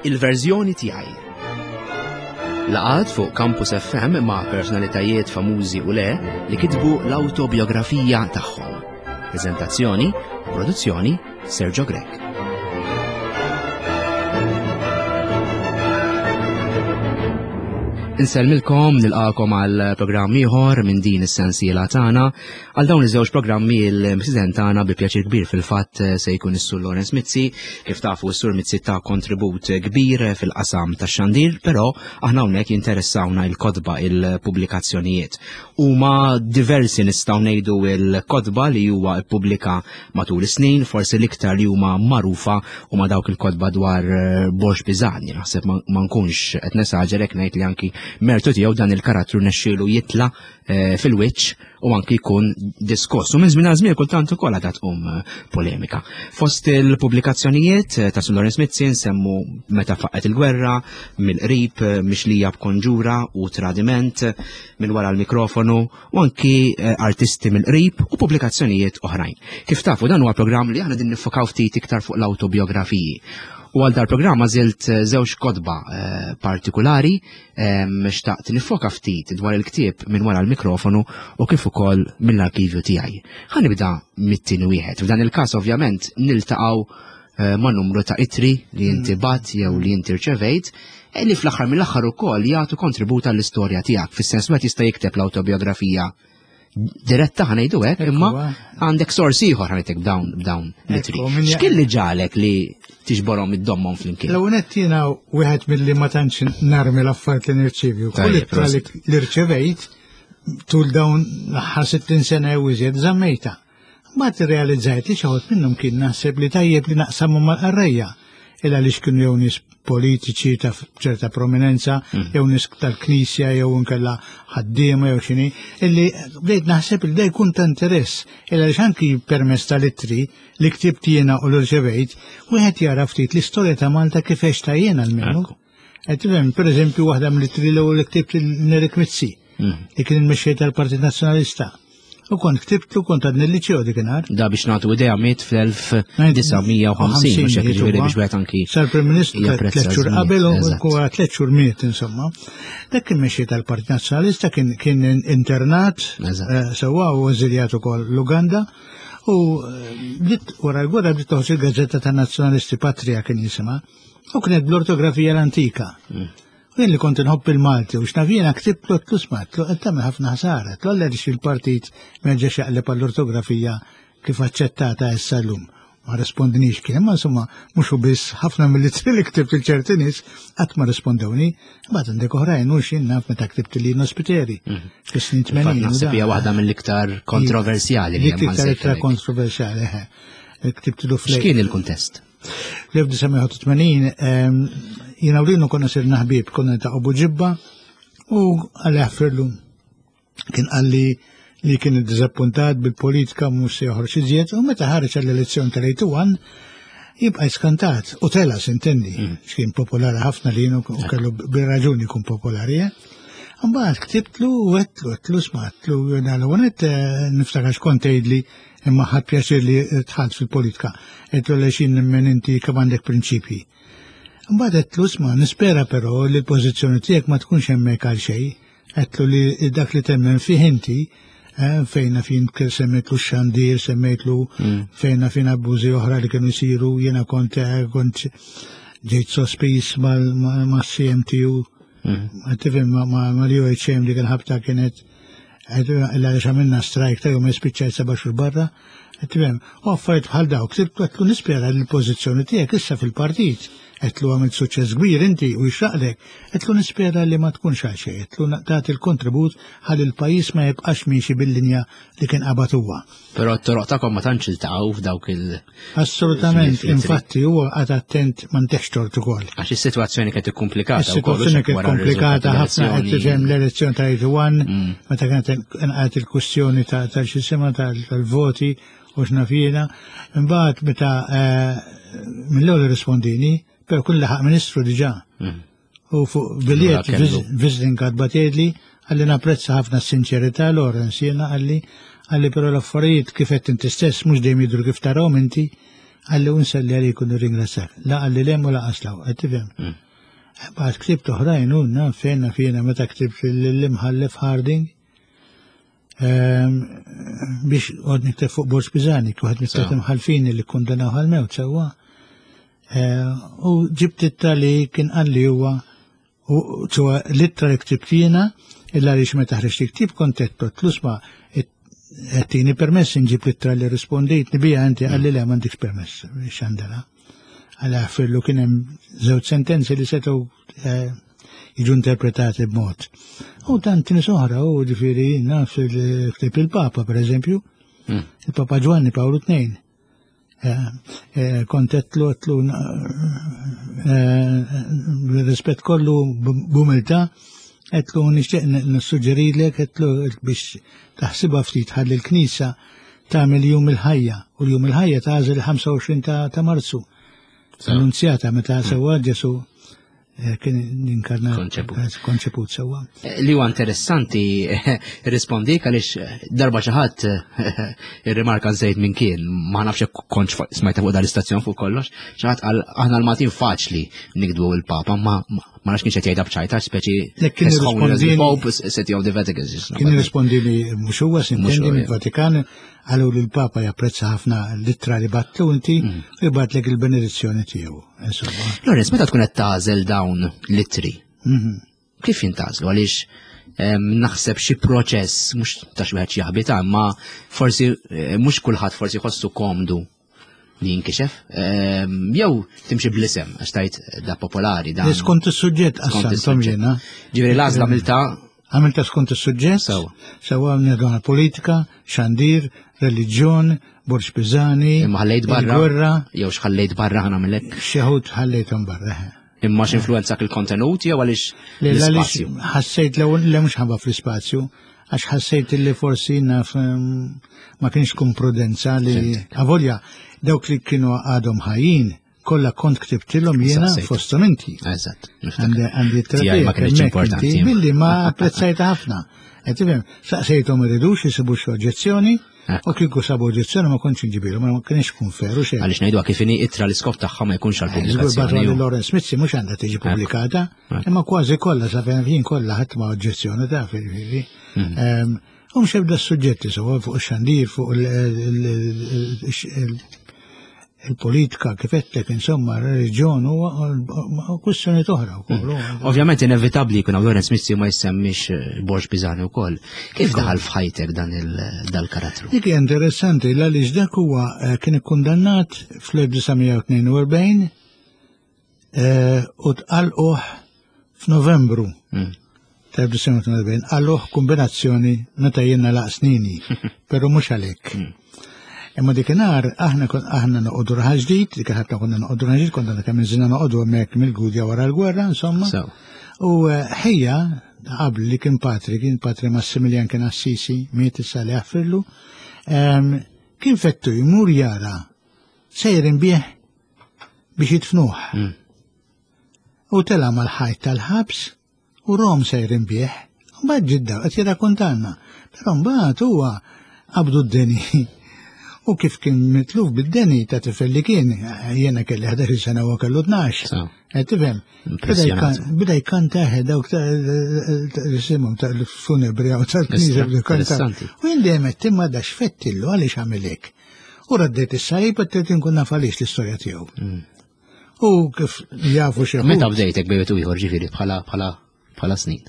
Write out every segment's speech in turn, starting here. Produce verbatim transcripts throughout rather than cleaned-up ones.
Il-verżjoni tiegħi. Laqgħat fuq Campus F M ma' personalitajiet famużi u le li kitbu l-autobiografija tagħhom. Prezentazzjoni u produzzjoni, Sergio Grech. Insellmilkom, nilqakom għal programm ieħor minn din is-sensiela tagħna. Għal dawn iż-żewġ programmi il-President tagħna, bi pjaċir kbir fil-fatt, se jkun is-Sur Lawrence Mizzi. Kif tafu, s-Sur Mizzi ta' kontribut kbir fil-qasam tax-xandir, però aħna hawnhekk jinteressawna il-kotba, il-pubblikazzjonijiet. Huma diversi, nistgħu ngħidu, il-kotba li huwa ippubblika matul is-snin, forsi l-iktar li huma magħrufa huma dawk il-kotba dwar eh, Borg Pisani. Naħseb ma nkunx qed nesaġerek ngħid li anki mertu tiegħu dan il-karattru nexxielu jitla eh, fil-wiċċ u anki jkun diskoss. U minn żmien għal żmien kultant ukoll għadha tqum eh, polemika. Fost il-pubblikazzjonijiet eh, ta' Sur Lawrence Mizzi nsemmu Meta Faqqet il-Gwerra, Mill-Qrib, Mixlija b'Konġura u Tradiment, Minn Wara l-Mikrofonu u anki Artisti mill-Qrib u pubblikazzjonijiet oħrajn. Kif tafu, dan huwa programm li aħna din niffokaw ftit iktar fuq l-autobiografiji. U għal dal-programm għażilt żewġ kotba partikolari, xtaqt nifoka ftit dwar il-ktieb Minn Wara l-Mikrofonu u kif ukoll Mill-Arkivju Tiegħi. Ħa nibda mit-tieni wieħed. F'dan il-każ ovvjament niltaqgħu ma' numru ta' ittri li inti bgħatt jew li inti rċevejt li fl-aħħar mill-aħħar ukoll jagħtu kontribut għall-istorja tiegħek. Fis-sens wieħed jista' jikteb l-autobiografija diretta, ħa ngħidu hekk, imma għandek sors ieħor, ħa ngħidlek, b'dawn b'dawn l-ittri. X'kien li ġagħlek li tiġborhom, iddommhom flimkien? L-ewwel nett, jiena wieħed milli ma tantx narmi l-affarijiet li nirċievi. Kull ittra li rċevejt tul dawn l-aħħar sittin sena jew iżjed żammejta. Mbagħad irrealizzajt li xi minnhom kien naħseb li tajjeb li naqsamhom mal-qarrejja, illa li kienu jew nies politiċi ta' ċerta prominenza, mm. jew nies tal-knisja, jew inkella ħaddiema jew xini, illi bdejt naħseb li da jkun ta' interess, illa li anki permezz tal-ittri li ktibt jiena u l-rċevejt, wieħed jara ftit l-istorja ta' Malta kif għextha jiena almenu. Qed tifhem, per eżempju, waħda mill-ittri l-ewwel li ktibt Nerik Mizzi, mm. li kien il-mexxej tal-Partit Nazzjonalista. U kont ktibtlu, kont għadni l-liċeo dikinhar. Da biex nagħtu idea, miet fl-elf disa' mija u ħamsin, mhux hekk, ġifieri biex wieħed anki Sar Prim Ministru tliet xhur qabel u tliet xhur miet, insomma. Dak kien mexxej tal-Partit Nazzjonalista, kien kien internat eh, sewwa u eżiljat ukoll l-Uganda. U eh, bdiet wara l-gwerra bdiet toħroġ il-gazzetta tan-Nazzjonalisti, Patria kien jisimha, u kienet bl-ortografija l-antika. Mm. U jien li kont inħobb il-Malti u x'naf jiena ktibtlu, għedtlu, "Isma'," "qed tagħmel ħafna ħsara," għedtlu, "għaliex il-partit ma ġex jaqleb għall-ortografija kif aċċettata issa llum?" Ma rispondinix kien, ma insomma, mhux biss, ħafna mill-ittri li ktibt il-ċerti nies qatt ma rispondewni. Mbagħad għandek oħrajn u x'jien naf, meta ktibt li Spiteri. Mhm. Fis-snin tmenin. Naħseb hija waħda mill-iktar kontroversjali li hemm. Iktar kontroversjali, ktibtlu fl X'kien il-kuntest? Fl-elf disa' mija u tmenin jiena u Lino konna sirna ħbieb, konna ta' Buġibba u għalli ħfirlu kien qalli li kien iddizappuntat bil-politika, mhux se joħroġ iżjed, u meta ħareġ għall-elezzjoni tal-erbgħa u tmenin jibqa' skantat u tela', s'intendi, mm. x'kien popolari ħafna li u kellu bir-raġuni jkun popolari. Eh? Mbagħad ktibtlu u għedtlu għedtlu "Isma'," għedtlu, "l-ewwel eh, niftakar x'kont tgħidli, imma ħadt pjaċir li dħalt fil-politika." Għedtlu, "Lexin nemmen inti kemm għandek prinċipji." Mbagħad għedtlu, "Isma', nispera però li l-pożizzjoni tiegħek ma tkunx hemmhekk għal xejn." Għedtlu li dak li temmen fih inti, eh, fejna fin semmejtlu xandir, semmejtlu mm. fejna fin abbużi oħra li kienu jsiru, jiena kont eh, kont ġejt sospiż mal-C M T U, mm. tifhem, mal-U H M li kien ħabta kienet għaliex għamilna strajk ta' jum, spiċċajt seba' xhur barra, tifhem, u affarijiet bħal dawk, għedtlu, "Nispera li l-pożizzjoni tiegħek issa fil-partit," għedtlu, "għamilt suċċess kbir inti u jxaqlek," għedtlu, "nispera li ma tkunx għal xejn," għedtlu, "tagħti il-kontribut ħalli l-pajjiż ma jibqax miexi bil-linja li kien qabad huwa." Però t-toroq tagħkom ma tantx iltaqgħu f'dawk il- Assolutament, infatti huwa qagħad attent ma ntihx tort ukoll. Għax is-sitwazzjoni kienet ikkumplikata. Is-sitwazzjoni kienet komplikata ħafna, qed tifhem, l-elezzjoni ta' erbgħa u tmenin, mm. meta kienet inqalgħet il-kwistjoni ta' tal-xisima tal-voti u x'naf jiena. Imbagħad meta eh, mill-ewwel rispondini, però kun laħaq ministru diġà. Mm. U fuq biljett visiting card bagħatli, qalli, "Napprezza ħafna s-sinċerità, Lawrence," jiena qalli qalli "però l-affarijiet kif qed inti stess mhux dejjem jidhru kif tarahom inti." Qalli u nselli għalik u nirringrazzjak. La qalli lem u laqas law, qed tifhem. Mm. Bad ktibt oħrajn u naf fejn naf jiena meta ktibt l-imħallef Harding ehm, biex għod nikteb fuq Borg Pisani, wieħed mit-tliet imħallfin li kkundannaw għal-mewt sewwa. Eh, u ġibt ittra li kien qalli huwa u ċoè l-ittra li ktibt jiena illa għaliex meta ħriġt il-ktieb kont għedtlu isma' tini permess nġib l-ittra li rispondejt bija inti qalli le m'għandekx permess xandela. Għala fillu kien hemm żewġ sentenzi li setgħu eh, jiġu interpretati b'mod. U tant nies oħra u ġifieri naf il-ktib il-Papa per eżempju, Mm. il-Papa Ġwanni Pawlu II. Eh, eh, Kont għedtlu għedtlu rispett kollu b'umiltà, għedtlu nixtieq nissuġġerilek għedtlu biex taħsibha ftit ħalli l-Knisja tagħmel jum il-ħajja u l-jum il-ħajja tagħżel il-ħamsa u għoxrin ta' ta' Marzu. Annunzjata meta sewwa Ġesu eh, kien inkarnat Konċeput. eh, konċeput sewwa. Li huwa interessanti rispondik għaliex darba xi ħadd irrimarka żejt minn kien, ma nafx jekk kontx fuq- smajta fuq dal-istazzjon fuq kollox, xi ħadd qal aħna l-Maltin faċli nikdbu il-Papa, ma ma ma nafx kienx qed jgħidha b'ċajta, speċi Le, kien His Holiness the irrispondini- Pope City of the Vatican. Kien irrispondi li mhux huwa Mhux sintendi huwa, mill-Vatikan qalu li l-Papa japprezza ħafna l-ittra li bgħattlu inti u jibgħatlek il-benedizzjoni tiegħu. Insomma. Lawrence, meta tkun qed tagħżel dawn l-ittri, Mhm. kif jintgħażlu għaliex em, naħseb xi proċess mhux ta' xi wieħed jaħbita, imma forsi eh, mhux kulħadd forsi jħossu komdu li jinkixef, em, jew timxi bl-isem għax tajt da popolari da. Li skont is-suġġett Skont qassamthom is-suġġett. jiena. Ġifieri l-għażla milta Għamilta skont is-suġġett, Sewa. sewa għamilna politika, xandir, reliġjon, Borg Pisani, imma ħallejt barra il-gwerra, jew x'ħallejt barra ħa nagħmilek xi wħud ħallejthom barra. imma x'influwenzak il-kontenut jew għaliex Le, għaliex l-ispazju. ħassejt l le mhux ħabba fl-ispazju, għax ħassejt li forsi naf em, ma kienx kun prudenza li avolja dawk li kienu għadhom ħajjin kollha kont ktibtilhom jiena Saqsejt. fosthom inti. Eżatt. niftakar. Għandi għandi Tiegħi ma kienx importanti. Billi ma apprezzajta ħafna. Qed tifhem, saqsejthom iridux jisibu xi oġġezzjoni, Ekku. u kieku sabu oġġezzjoni ma kontx inġibilhom, ma kienx kun feru xejn. Għaliex ngħidu kif inhi ittra l-iskop tagħha ma jkunx Żgur bagħtu għall-pubblikazzjoni. għal Lawrence Mizzi mhux għandha tiġi pubblikata, Ekku. imma kważi kollha sa fejn jien kollha ħadd ma oġġezzjoni ta' fil-fili. Mhm. U mhux ebda suġġetti sewa fuq ix-xandir, fuq il- il- il- il-politika kif għedtlek, insomma, reliġjon u kwistjoni oħra wkoll. Ovvjament inevitabbli jkun hawn Lawrence Mizzi ma jsemmix eh, Borg Pisani wkoll. Kif daħal f'ħajtek dan il- dal-karattru? Dik hija interessanti għaliex dak huwa eh, kien ikkundannat fl-elf disa' mija u tnejn u erbgħin eh, u tqalquh f'Novembru Mm. tal-elf disa' mija u tnejn u erbgħin qalquh kombinazzjoni meta jiena laq snini, però mhux għalhekk. Imma dikinhar aħna kon aħna noqogħdu Raħal Ġdid, dik ħafna konna noqogħdu Raħal Ġdid, konna kemm iżina noqogħdu hemmhekk mill-Gudja wara l-gwerra, insomma. So, U eh, ħija qabel li kien patri, kien patri Massimilian kien Assisi, miet issa li jaħfirlu, em, kien fettu jmur jara sejrin bih biex jidfnuh. Mm. U tela mal-ħajt tal-ħabs u rom sejrin bih. Mbagħad ġidda qed jirrakkontanna. Però mbagħad huwa qabdu d-deni. U kif kien mitluf bid-deni ta' tifel li kien, jiena kelli ħdax-il sena u kellu tnax. so, Qed tifhem? Impressjonat. Bida jkanta dawk ta' jisimhom tal-funebri u tal-knisja bda jkanta. Interessanti. U jien dejjem qed imma da x'fettillu għaliex għamel hekk. U raddejt is-salib qed trid inkun naf għaliex l-istorja tiegħu. Mm. U kif jafu xi Meta wħud, bdejtek bejt u ieħor ġifieri bħala bħala bħala snin.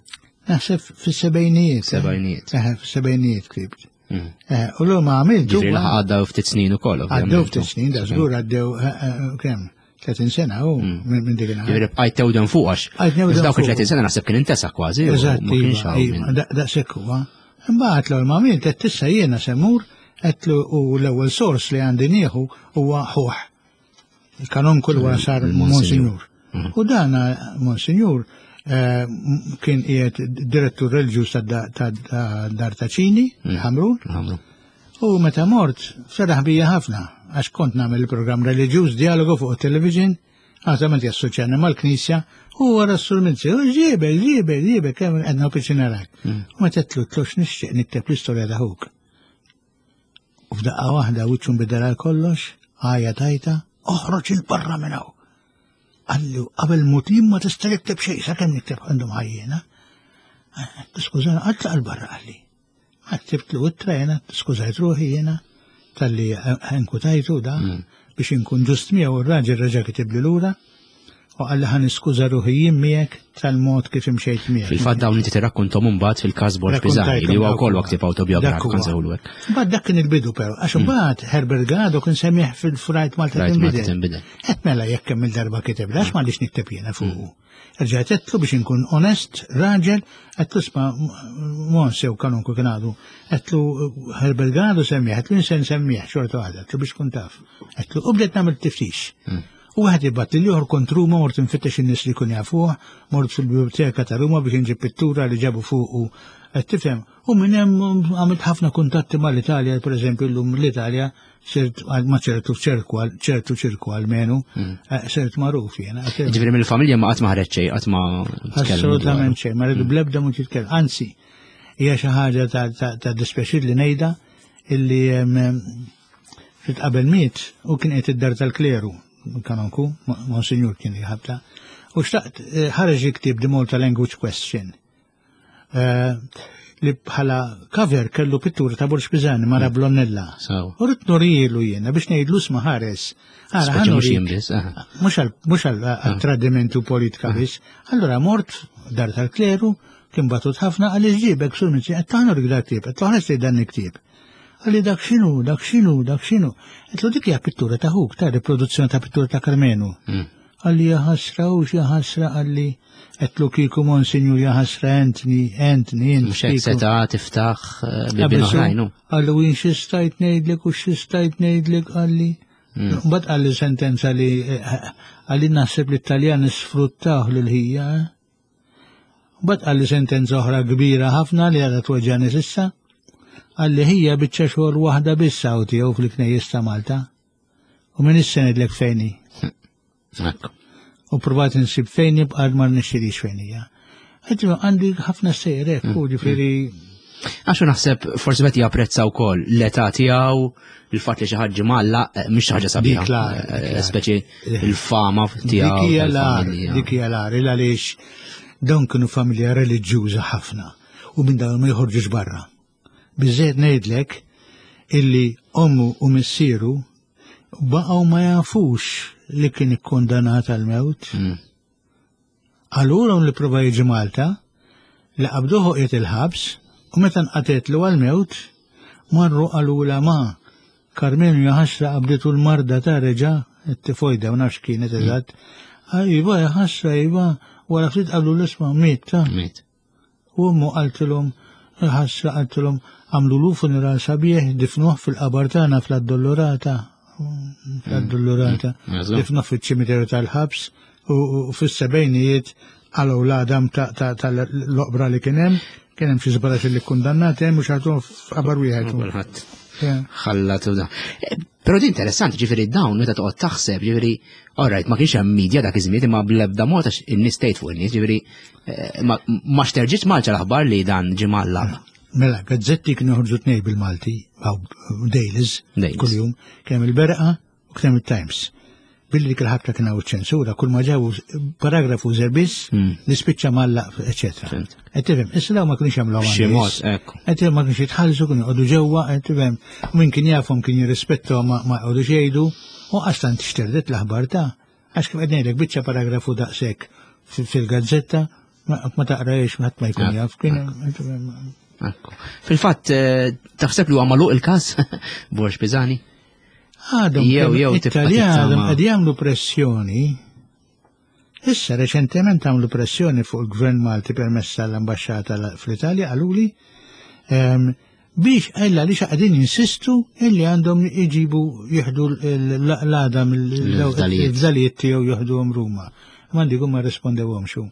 Naħseb fis-sebgħinijiet. Sebgħinijiet. Eh, fis-sebgħinijiet ktibt. Mm. Eh, U l ma għamiltu. Ġifieri laħaq għadda ftit snin ukoll. Għaddew ovvjament. ftit snin, da żgur għaddew eh, eh, kemm? tletin sena u minn minn dik il-ħar. Ġifieri bqajt tewden fuq għax. Bqajt newden F'dawk fuq. il-tletin sena naħseb kien intesa kważi. u Eżatt, Ma kienx iva, hawn iva, min- da- daqshekk huwa. Imbagħad l ma għamilt qed tissa jiena semmur qedtlu u l-ewwel sors li għandi nieħu huwa ħuħ. Il-kanonku wara sar Il-Monsinjur. Monsinjur. U dan Monsinjur eh, m- kien qiegħed direttur reliġjuż ta' ta' Dar ta' Ċini, Ħamrun, Ħamru. u meta mort feraħ bija ħafna għax kont nagħmel il-programm reliġjuż dialogu fuq il-television, għazament jassoċjani mal-knisja, u wara s-sur Mizzi, u ġiebe, ġiebe, ġiebe, kemm għedna piċinarak. U meta tlu tlux nixtieq nikteb l-istorja ta' ħuk. U f'daqqa waħda wiċċu nbidel għal kollox, Għajja tajta, oħroġ il-barra minn hawn. Qallu qabel mutim ma tista' tikteb xejn, sakemm nikteb għandhom ħajjena. Skużana, għatlaq il-barra qalli. Ma ktibtlu ittra jena, skużajt ruħi jena, talli inkwetajtu da, biex inkun ġust miegħu r-raġel reġa' kitibli lura u qalli ħa niskuża ruħi jien miegħek tal-mod kif imxejt miegħek. Fil-fatt dawn inti tirrakkontom mbagħad fil-każ Borg Pisani li huwa wkoll ktieb awtobiografiku Dak huwa. nsejħulu hekk. Mbagħad dak kien il-bidu però, għax imbagħad Herbert Ganado kien semmieh fil-Rajt Malta Rajt Malta tinbidel. tinbidel. Qed mela jekk kemm il-darba kiteb, għax m'għandix nikteb jiena fuqu. Rġajt għedtlu biex inkun onest, raġel, għedtlu isma' Monse u kanunku kien għadu, għedtlu Herbert Ganado semmieh, għedtlu nsen nsemmieh xorta waħda, għedtlu biex kun taf. Għedtlu u bdejt nagħmel tiftix. U wieħed jibgħat li ieħor kont Ruma mort infittex in-nies li kun jafuh, mort fil-biblioteka ta' Ruma biex inġib pittura li ġabu fuqu. Qed tifhem, u minn hemm għamilt ħafna kuntatti mal-Italja, per eżempju llum l-Italja sirt ma ċertu ċerku ċertu ċirku almenu, eh, sirt magħruf jiena. Qed tifhem? Ġifieri mill-familja ma qatt ma ħareġ xejn, qatt ma tkellmu dwaru. Assolutament xejn, ma rridu bl-ebda mod jitkellem. Anzi, hija xi ħaġa ta' ta' ta' dispjaċir li ngħidha illi em, ftit qabel miet u kien qed id-dar tal-kleru, kanonku, Monsignor kien jħabta. U xtaqt eh, ħareġ ktieb The Malta Language Question. Eh, li bħala cover kellu pittura ta' Borg Pisani mara Blonnella. Sawa. U rrid nurilu jiena biex ngħidlu sma ħares. Ara, Speċi mhux ħa nurik. jien biss, aha. Mhux għal mhux għal għal tradimentu politika biss. Allora mort dar tal-kleru, kien batut ħafna għal ġibek sur minn qed taħnu rik dak ktieb, qed toħroġ li dan il-ktieb. Qalli dak x'inhu, dak x'inhu, dak x'inhu. Għedtlu dik hija pittura ta' ħuk, ta' riproduzzjoni ta' pittura ta' Karmenu. Mm. Qalli ja ħasra u xi ħasra qalli għedtlu kieku Monsignor ja ħasra Anthony, Anthony, int Mhux hekk kieku. seta' tiftaħ eh, bibien oħrajn. hu. Qallu jien xi stajt ngħidlek u xi stajt ngħidlek qalli. Mbagħad qalli sentenza li eh, qalli naħseb li t-Taljan sfruttaw lil ħija. eh. Mbagħad qalli sentenza oħra kbira ħafna li għadha tweġġani s'issa. Qalli ħija biċċa xogħol waħda biss hawn tiegħu fil-Knejjes ta' Malta. U minn issa ngħidlek fejn hi. Ekku. U provat insib fejn jibqa' ma nixxirix fejn hija. Għedtlu għandi ħafna sejjer hekk, u ġifieri Għaxu naħseb forsi meta japprezza wkoll l-età tiegħu, il-fatt li xi ħadd malla eh, mhix xi ħaġa sabiħa. Dik la- Eh, dik la- Speċi il-fama tiegħu. Dik hija l-agħar, tal-familja. dik hija l-agħar, il għaliex dawn kienu familja reliġjuża ħafna u minn dawn ma joħorġux barra. Biżejjed ngħidlek illi ommu u missieru baqgħu ma jafux li kien ikkundannat għal-mewt. Mm. Allura li prova jiġi Malta, li qabduħu qiegħed il-ħabs u meta nqatetlu għal-mewt marru qalula ma Karmenu jaħasra qabditu l-marda ta' reġa t-tifojda u nafx kienet eżatt. Ah, Iva, jaħasra, iva, wara ftit qablu l-isma miet ta' Miet. U ommu qaltilhom, ħasra qaltilhom, għamlu lu funeral sabiħ, difnuh fil-qabar tagħna fl-Addolorata. Fl-Addolorata. Mm. Eżatt. Difnuh fiċ-ċimiterju tal-ħabs u u fis-sebgħinijiet għalgħu l-għadam tal-oqbra li kien hemm, kien hemm xi żbarax li kundannati hemm u xaħtuhom f'qabar wieħed. Kulħadd Yeah. ħallat u da. Eh, Però di interessanti, ġifieri dawn meta toqgħod taħseb, ġifieri, alright, ma kienx hemm media dak iż-żmien imma bl-ebda mod għax in-nies tgħid fuq in-nies, ġifieri eh, ma ma xterġitx Malta l-aħbar li dan ġie mgħallaq. Mela, gazzetti kienu joħorġu tnej bil-Malti, għaw dailies, Dailies. kull-jum, kien hemm il-Berqa u kien hemm il-Times. Billi dik il-ħabta kien hawn ċensura, kull ma ġabu paragrafu żerbiss, Mm. li spiċċa mallaq, eċetera. Fhimt. Qed tifhem, issa dawn ma kienux jagħmlu B'xi mod, ekku. Qed tifhem ma kienx jitħallsu, kienu jqogħdu ġewwa, qed tifhem, u min kien jafhom kien jirrispettahom ma ma jqogħdux jgħidu, u qastan tixterdet l-aħbar ta' għax kif qed ngħidlek biċċa paragrafu daqshekk fi- fil-gazzetta ma ma taqrajx ħadd ma jkun jaf, kien qed tifhem, Ekku. Fil-fatt, eh, taħseb li huwa magħluq il-każ Borg Pisani? Għadhom Jew- kemm jew tibqa' Italjan għadhom tittama. qed jagħmlu pressjoni. Issa reċentement għamlu pressjoni fuq il-Gvern Malti permezz tal-ambaxxata la- fl-Italja qaluli ehm, biex ella li qegħdin jinsistu illi għandhom iġibu jieħdu l-għadam Il-fdalijiet. il-fdalijiet tiegħu jieħduhom Ruma. M'għandikom ma rispondewhom xu.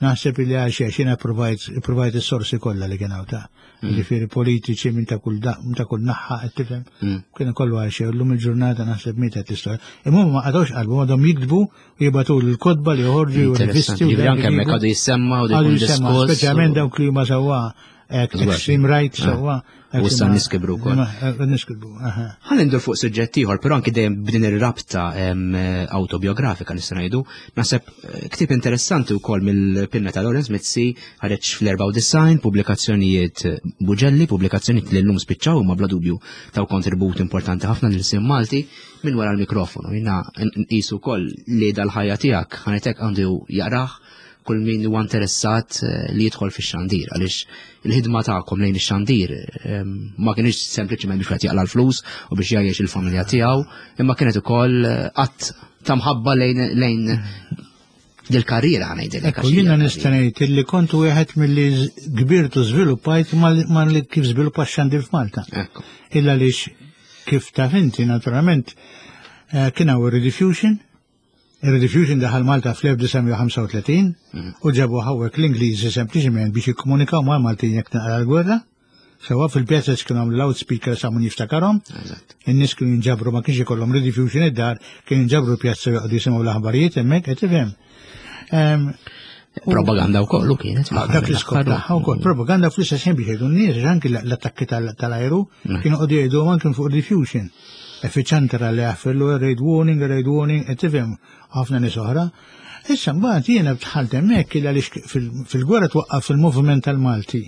Naħseb illi għal xi jiena provajt provajt is-sorsi kollha li kien hawn ta' Ġifieri politiċi minn ta' kull da- minn ta' kull naħħa qed tifhem. Mm. Kienu kollu għal xejn, llum il-ġurnata naħseb mietet l-istorja. Imma huma ma qatgħux qalbu għadhom jiktbu u jibgħatu l-kotba li joħorġu u Interessanti. rivisti u Ġifieri dak anke hemmhekk iġibu. għadu jissemma u Għadu jkun jisemma, diskors. speċjalment dawk li huma sewwa Extreme right, sewwa. U issa nies kibru wkoll. Nies kibru, aha. Ħa ndur fuq suġġett ieħor, però anki dejjem b'din ir-rabta autobiografika nista' ngħidu, naħseb eh, ktieb interessanti wkoll mill-pinna ta' Lawrence Mizzi ħareġ fl-erbgħa u disgħin, pubblikazzjonijiet Buġelli, pubblikazzjonijiet li llum spiċċaw imma bla dubju taw kontribut importanti ħafna lil Malti minn wara l-mikrofonu. Jiena nqisu wkoll li dal-ħajja tiegħek ħanetek għandu jaqrah kull min huwa interessat eh, li jidħol fix-xandir, għaliex il-ħidma tagħkom lejn ix-xandir ehm, ma kienx sempliċement biex wieħed jaqla l-flus u biex jgħajjex il-familja tiegħu, imma kienet ukoll eh, att ta' mħabba lejn lejn dil-karriera ħa ngħidilek. Ekku, jiena nista' ngħid li kont wieħed milli kbirtu żviluppajt ma li kif żviluppa x-xandir f'Malta. Ekku. Illa għaliex kif taf inti naturalment eh, kien hawn Rediffusion. Il-Rediffusion daħal Malta fl-elf disa' mija u ħamsa u tletin u ġabu hawnhekk l-Ingliżi sempliċement biex jikkomunikaw ma' Maltin jekk naqra l-gwerra. Sewwa, fil-pjazza kienu għamlu loudspeaker sa min jiftakarhom. In-nies kienu jinġabru, ma kienx ikollhom Rediffusion id-dar, kienu jinġabru pjazza joqogħdu jisimgħu l-aħbarijiet hemmhekk, qed tifhem. Propaganda wkoll kienet. Dak l-iskop tagħha wkoll. Propaganda fl-istess ħin biex jgħidu n-nies, anki l-attakki tal-ajru kienu qogħdu jgħidu anke fuq Rediffusion. Effiċantara li għaffillu raid warning, raid warning, qed tifhem, ħafna nies oħra. Issa mbagħad jiena dħalt hemmhekk għaliex fil-gwerra twaqqaf fil-moviment tal-Malti.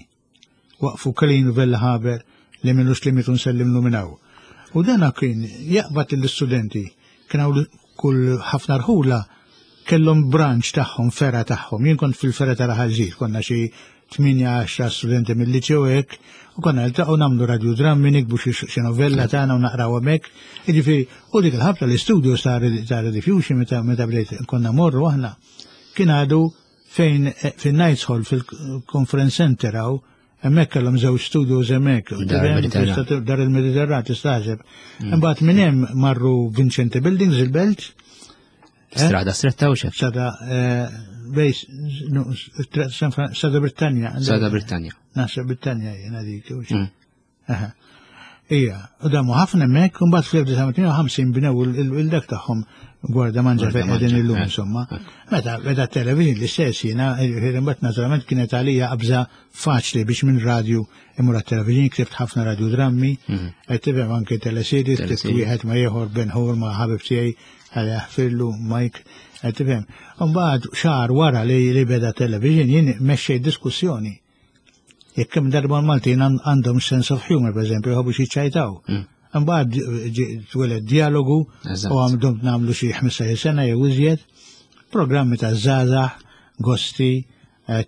Waqfu Kalin Vella Haber li minux li mitu nsellimlu minn hawn. U dana kien jaqbad l-istudenti, kien hawn kull ħafna rħula kellhom branch tagħhom, fergħa tagħhom. Jien kont fil-fergħa ta' Raħal, konna xi tmienja għaxar studenti mill-liċew hekk, u konna niltaqgħu nagħmlu radiodrammi, niktbu xi novella tagħna u naqraw hemmhekk. Jiġifieri, u dik il-ħabta l-istudio ta' Rediffusion meta meta bdejt konna morru aħna kien għadu fejn fin-Knights Hall fil-Conference Center hawn. Hemmhekk kellhom żewġ studios hemmhekk. Dar il-Mediterran tistaħseb. Imbagħad minn hemm marru Vincenti Buildings il-Belt. Strada Stretta u xef? Strada bejs, Strada Britannia. Strada Britannia. Naħseb Britannia jena dik. Ija, u damu ħafna hemmhekk, u mbagħad fl-elf disa' mija u tnejn u ħamsin bnew il-dak tagħhom Gwardamanġa fejn qegħdin illum insomma. Meta beda television l-istess jiena, imbagħad naturalment kienet għalija qabża faċli biex minn radio imur għat-television, ktibt ħafna radiodrammi, qed tifhem, anke teleseries, ktibt wieħed ma' ieħor Ben Hur ma' ħabib tiegħi għal jaħfirlu Mike, qed tifhem. Mbagħad xahar wara li li beda television jien mexxej diskussjoni. Jekk kemm darba l-Maltin għandhom sense of humor, per eżempju, jħobbu xi ċajtaw. Mbagħad tweled dialogu u għamdom nagħmlu xi ħmistax-il sena jew iżjed, programmi ta' żgħażagħ, gosti,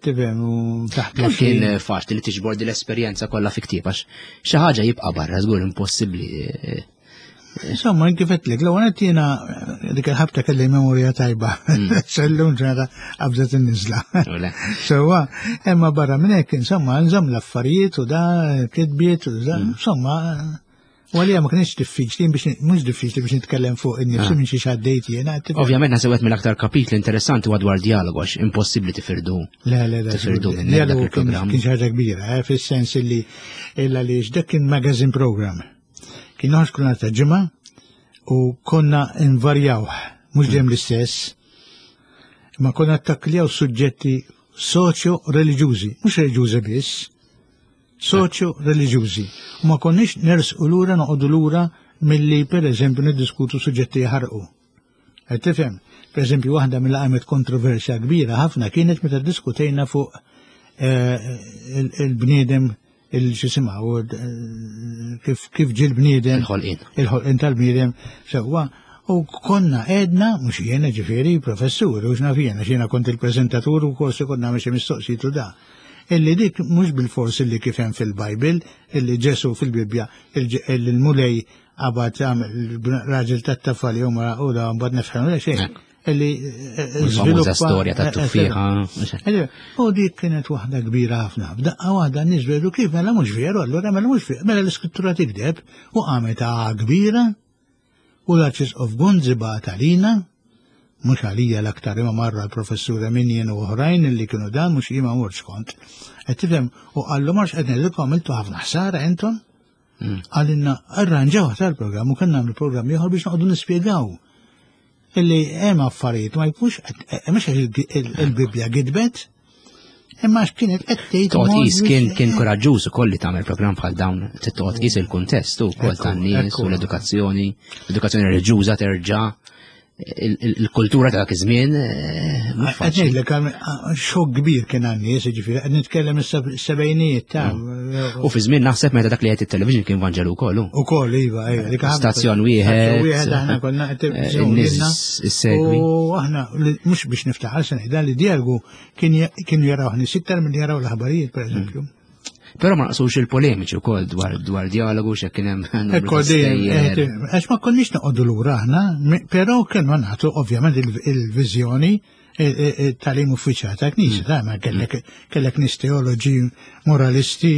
tifhem, u taħt. Kien faċli li tiġbor di l-esperjenza kollha fi ktieb, għax xi ħaġa jibqa' barra żgur impossibbli. Insomma, kif għedtlek, l-ewwel jiena dik il-ħabta kelli memorja tajba. Sellum ġenata qabżet in-niżla. Sewwa, imma barra minn hekk, insomma, nżomm l-affarijiet u da kitbiet u da, insomma, u għalija ma kienx diffiċli biex, mhux diffiċli biex nitkellem fuq in-nifsi minn xi xaddejt jiena. Ovvjament naħseb mill-aktar kapitli interessanti huwa dwar dialogu għax impossibbli tifirdu. Le, le, le. Tifirdu minn Dialogu kien kien xi ħaġa kbira, eh, fis-sens illi illa li dak kien magazine program. Kien noħroġ kull nhar ta' Ġimgħa u konna nvarjaw, mhux dejjem l-istess, ma konna tattakkljaw suġġetti soċjo-reliġjużi, mhux reliġjużi biss, soċjo-reliġjużi. U ma konniex nersqu lura, noqogħdu lura milli per eżempju niddiskutu suġġetti jaħarqu. Qed tifhem? Per eżempju, waħda mill qamet kontroversja kbira ħafna kienet meta diskutejna fuq eh, il-bniedem il-xisimha kif kif ġie l-bniedem. Il-ħolqien. Il-ħolqien tal-bniedem sewwa. U konna edna, mhux jiena ġifieri, professur, u x'naf jiena, jiena kont il-preżentatur u korsi konna għamil xi mistoqsijiet u da. Illi dik mhux bil-fors illi kif hemm fil-Bible, illi Ġesu fil-Bibbja, il-Mulej qabad raġel tat-tafal jew mara u da mbagħad nefħem xejn. Illi Il-famuża storja tat-tuffieħa. U dik kienet waħda kbira ħafna. B'daqqa waħda nies veru kif mela mhux veru, allura mela mhux veru, mela l-iskrittura tikdeb, u qamet kbira u l-Arċisqof Gonzi bagħat għalina, mhux għalija l-aktar imma marra l-professur Minjen u oħrajn li kienu dan, mhux jien ma mortx kont. Qed tifhem, u qallu marx qed ngħidilkom għamiltu ħafna ħsara intom. Għalinna arranġaw tal-programm u kellna nagħmlu programm ieħor biex noqogħdu nispjegaw illi hemm affarijiet ma jkunx mhux il-Bibbja gidbet, Imma x'kienet qed tgħid. Toqgħod qis kien kien kuraġġuż ukoll li tagħmel programm bħal dawn, toqgħod qis il-kuntest ukoll tan-nies u l-edukazzjoni, l-edukazzjoni reliġjuża terġa' il-kultura ta' dak iż-żmien mhux faċli. Ngħidlek xokk kbir kien għan-nies, jiġifieri qed nitkellem is-sebgħinijiet ta' U fi żmien naħseb meta dak li qed it-television kien Vanġelu wkoll. Ukoll iva, iva. Stazzjon wieħed. Wieħed aħna konna qed in-nies issegwi. U aħna mhux biex niftaħar se ngħidha li dialogu kienu jaraw nies iktar milli jaraw l-aħbarijiet pereżempju. Però ma naqsux il-polemiċi wkoll dwar dwar dialogu x'hekk kien hemm. Ekku dejjem, għax ma konniex noqogħdu lura aħna, però kienu nagħtu ovvjament il-viżjoni tal-im uffiċjali ta' knisja, ta' ma kellek kellek nies teoloġi, moralisti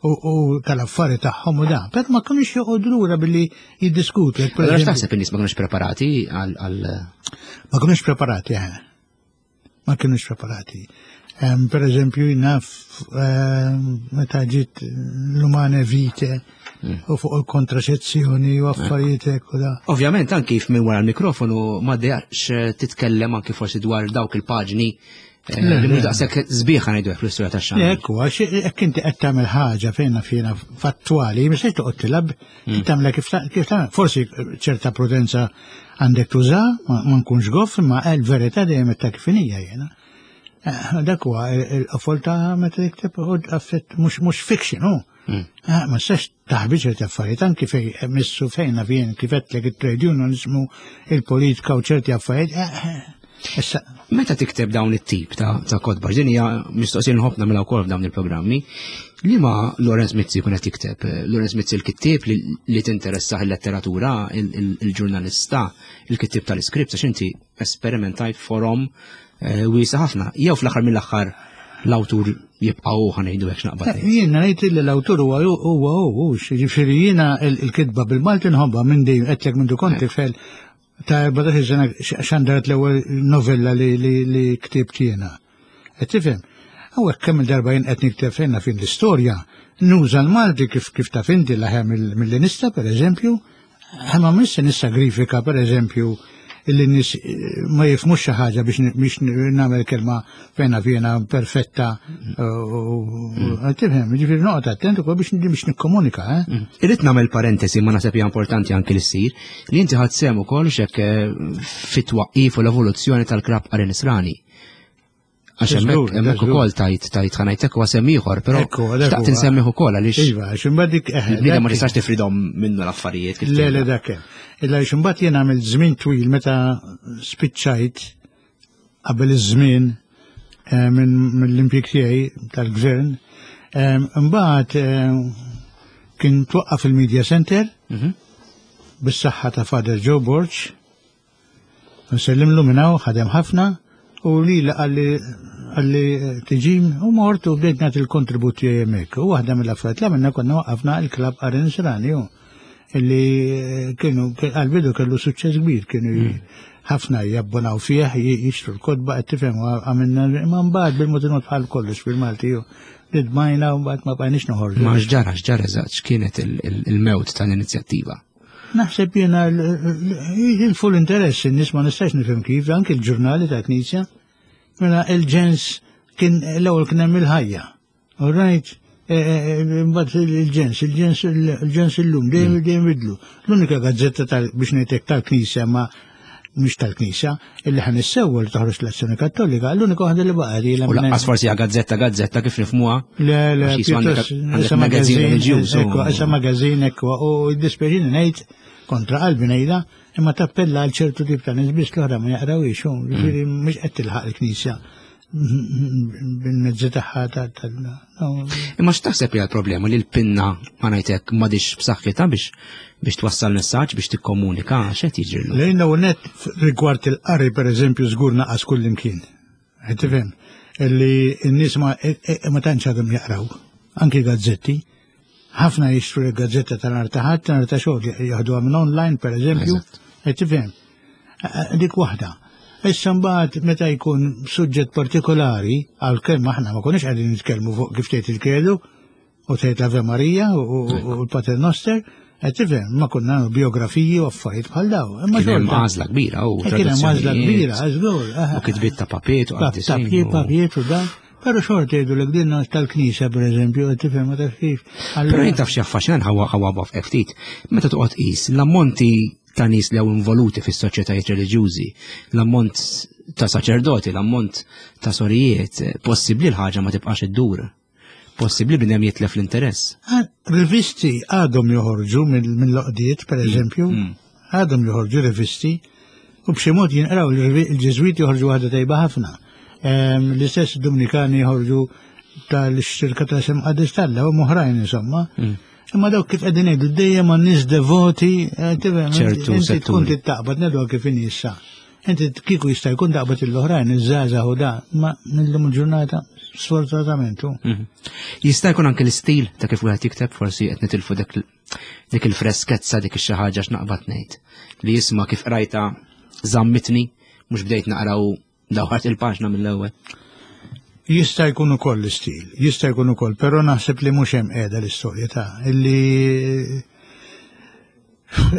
u tal-affari tagħhom u da. Però ma kinux joqogħdu lura billi jiddiskutu. Allura x'taħseb in-nies ma kinux preparati għal Ma kinux preparati, eh. Ma kinux preparati. Per eżempju, naf meta ġiet l-Humanae Vitae u fuq il-kontraċezzjoni u affarijiet hekk u da. Ovvjament anki minn wara l-mikrofonu ma dejaqx titkellem anki forsi dwar dawk il-paġni li mhux daqshekk sbieħ ngħidu hekk fl-istorja tax-xandir. Ekku, għax hekk inti qed tagħmel ħaġa fejn fjena fattwali, mhux se toqgħod tilab, tagħmilha kif tagħmel. Forsi ċerta prudenza għandek tuża, ma nkunx goff, imma l-verità dejjem qed kif hija jiena. Dak huwa il-qofol ta' meta tikteb u affett mhux fiction, hu. Ma tistax taħbi ċerti affarijiet anki fej missu fejna fien kif qedlek it-trade union ismu il-politika u ċerti affarijiet. Issa meta tikteb dawn it-tip ta' kotba, din hija mistoqsija nħobb nagħmilha wkoll f'dawn il-programmi, liema Lawrence Mizzi jkun qed jikteb? Lawrence Mizzi l-kittieb li tinteressah il-letteratura, il-ġurnalista, il-kittieb tal-iskript, għax inti esperimentajt forom wiesa ħafna. Jew fl-aħħar mill-aħħar l-awtur jibqa' hu ħa ngħidu hekk x'naqbad. Jiena ngħid li l-awtur huwa huwa hu, jiġifieri jiena l-kitba bil-Malti nħobbha minn dejjem qedlek minn kont tifel ta' erbatax-il sena xandaret l-ewwel novella li li ktibt jiena. Qed tifhem? Hawnhekk kemm il-darba jien qed nikteb fejn fin l-istorja, nuża l-Malti kif kif taf inti l-aħjar milli nista' pereżempju, imma mhux se nissagrifika pereżempju illi nies ma jifhmux xi ħaġa biex biex nagħmel kelma fejna fjena perfetta. Tifhem, jiġifieri noqgħod attent ukoll biex biex nikkomunika, eh? Irrid nagħmel parentesi ma naħseb hija importanti anki li ssir li inti ħadt sehem ukoll x'hekk fit-twaqqif u l-evoluzzjoni tal-Klabb Qari Nisrani. Għax hemmhekk hemmhekk ukoll tajt tajt ħa ngħidlek huwa semm ieħor, però xtaqt insemmih ukoll għaliex. Iva, għax imbagħad dik il-bniedem ma tistax tifridhom minnu l-affarijiet kif Le, le dak hemm. Illa għax imbagħad jien għamilt żmien twil meta spiċċajt qabel iż-żmien mill-impjieg tiegħi tal-gvern, imbagħad kien twaqqaf il-Media Center bis-saħħa ta' Father Joe Borg. Nsellimlu minn hawn, ħadem ħafna. U li għalli għalli tiġi u mort u bdejt nagħti l-kontribut tiegħi hemmhekk. U waħda mill-affarijiet li għamilna konna waqqafna il-Klabb Qari Nisrani illi kienu għal-bidu kellu suċċess kbir, kienu ħafna jabbonaw fih, jixtru l-kotba, qed tifhem għamilna imma mbagħad bil-mod il-mod bħal kollox bil-Malti nidmajna u mbagħad ma bqajniex noħorġu. Ma x'ġara, x'ġara eżatt, x'kienet il-mewt tal-inizjattiva? Naħseb jiena il-full interess, in-nies ma nistax nifhem kif, anki l-ġurnali ta' Knisja. Mela il-ġens kien l-ewwel kien hemm il-ħajja. All right, imbagħad il-ġens, il-ġens il-ġens illum dejjem dejjem bidlu. L-unika gazzetta tal biex ngħidlek tal-Knisja ma mhux tal-Knisja illi ħan issewwa li toħroġ l-Azzjoni Kattolika, l-unika waħda li baqgħet ilha. U lanqas forsi hija gazzetta gazzetta kif nifhmuha. Le, le, pjuttost magażin reliġjuż. Ekku, issa magażin ekku, u jiddispjaċini ngħid kontra qalbi ngħidha, imma tappella għal ċertu tip ta' nies biss l-oħra ma jaqrawhiex, jiġifieri mhux qed tilħaq il-Knisja bil-mezzi tagħha tal. Imma x'taħseb hija l-problema li l-pinna ma ngħidlek m'għadix b'saħħitha biex biex twassal messaġġ biex tikkomunika x'qed jiġri? Lejn net rigward il-qari pereżempju żgur naqas kullimkien. Qed tifhem illi n-nies ma ma tantx għadhom jaqraw, anki gazzetti. Ħafna jixtru l-gazzetta tal-nhar ta' Ħadd, nhar ta' xogħol jaħduha minn online pereżempju. Qed tifhem. Dik waħda. Issa mbagħad meta jkun suġġett partikolari, għalkemm aħna ma konniex qegħdin nitkellmu fuq kif tgħid il-Kredu u tgħid l-Ave Maria u l-Pater Noster, qed tifhem, ma konna nagħmlu biografiji u affarijiet bħal daw. Imma kien hemm għażla kbira u kien hemm għażla kbira, żgur. U kitbiet ta' papiet u qaddisin. Ta' papiet u dan. Però xorta jgħidu din tal-Knisja, per eżempju, tifhem, ma taf kif. Però jien taf xi affaxxinan ħawa ħawa baf ftit. Meta toqgħod qis l-ammonti ta' nies li hawn involuti fis-soċjetajiet reliġjużi, l-ammont ta' saċerdoti, l-ammont ta' sorijiet, possibbli l-ħaġa ma tibqax iddur. Possibbli bniedem jitlef l-interess. Ah, rivisti għadhom joħorġu mill-loqdiet, per eżempju, mm, mm. għadhom joħorġu rivisti, u b'xi mod jinqraw. Il-Ġeżwiti joħorġu waħda tajba ħafna. L-istess Dominikani joħorġu tal-xirka ta' sem qaddis talla u oħrajn insomma. Mm. Imma dawk kif qegħdin ngħidu dejjem għan nies devoti, eh, ċertu inti tkun taqbad ngħidu kif issa. Inti kieku jista' jkun taqbad l-oħrajn, iż-żgħażagħ u da, ma millum il-ġurnata sfortunatament. Mhm. Jista' jkun anke l-istil ta' kif wieħed jikteb, forsi qed nitilfu dik il-freskezza, dik ix-xi ħaġa x'naqbad ngħid. Li jisma' kif qrajta żammitni, mhux bdejt naqraw dawħart il-paġna mill-ewwel. Jista' jkun ukoll l-istil, jista' jkun ukoll, però naħseb li mhux hemm qiegħda l-istorja ta' illi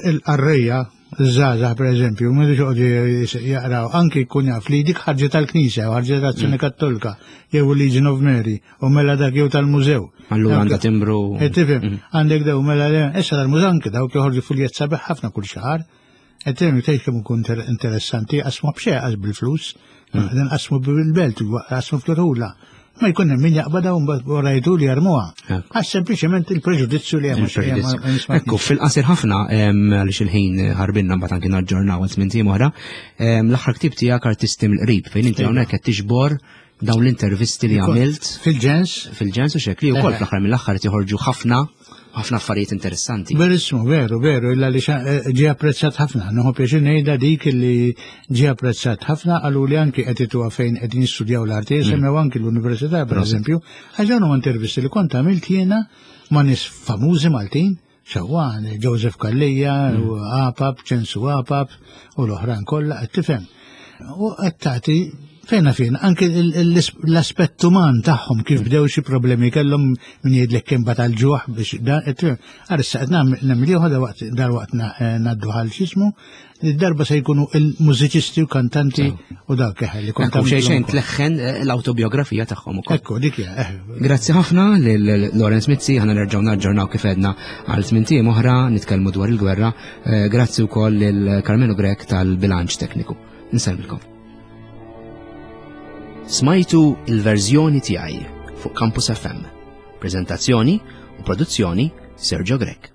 il-qarrejja, iż-żgħażagħ pereżempju, m'għandux joqogħdu jaqraw, anki jkun jaf li dik ħarġa tal-Knisja u ħarġa tal-Azzjoni mm. Kattolika jew Legion of Mary u mela dak jew tal-mużew. Allura għandha timbru. Eh, tifhem, mm. għandek daw mela issa tal-mużew anke dawk joħorġu fuljett sabiħ ħafna kull xahar. Qed tgħid kemm ikun interessanti, qasmu b'xejn, qas bil-flus, mm. qasmu bil-belt, qasmu fl-rula. Ma jkun hemm min jaqbadha u mbagħad wara jgħidu li jarmuha. Għax sempliċement il-preġudizzju li hemm. Ekku, fil-qasir ħafna, għaliex il-ħin ħarbinna, mbagħad anki naġġornaw għal tmien oħra, l-aħħar ktieb tiegħek Artisti mill-Qrib, fejn inti hawnhekk qed tiġbor dawn l-intervisti li għamilt. Fil-ġens. Fil-ġens u xekli wkoll fl-aħħar mill-aħħar joħorġu ħafna ħafna affarijiet interessanti. Verissimo, veru, veru, illa li eh, ġie apprezzat ħafna. Nieħu pjaċir ngħidha dik li ġie apprezzat ħafna, qalu li anki qed ituha fejn qed jistudjaw l-arti, mm. semmew anki l-università, per eżempju, għax dawn huma intervisti li kont għamilt jiena ma' nies famużi Maltin, xawwan, Joseph Calleja, mm. u Apap, Ċensu Apap, u l-oħrajn kollha, qed tifhem. U qed tagħti fejna fejn, anke l-aspett uman tagħhom, kif bdew, xi problemi kellhom, min jgħidlek kemm batal ġuħ biex dan, għar issa qed nagħmel ieħor dal-waqt ngħaddu għal x'ismu, darba se jkunu il-mużiċisti u kantanti u dak li kont xejn xejn tleħħen eh, l-autobiografija tagħhom ukoll. Ekku, dik hija. Eh. Grazzi ħafna lil Lawrence Mizzi, ħana nerġgħu naġġornaw kif edna għal tmien ijiem oħra nitkellmu dwar il-gwerra. Eh, grazzi wkoll lil Carmelo Grech tal-bilanċ tekniku. Nsellmilkom. Smajtu Il-Verżjoni Tiegħi fuq Campus F M. Prezentazzjoni u produzzjoni Sergio Grech.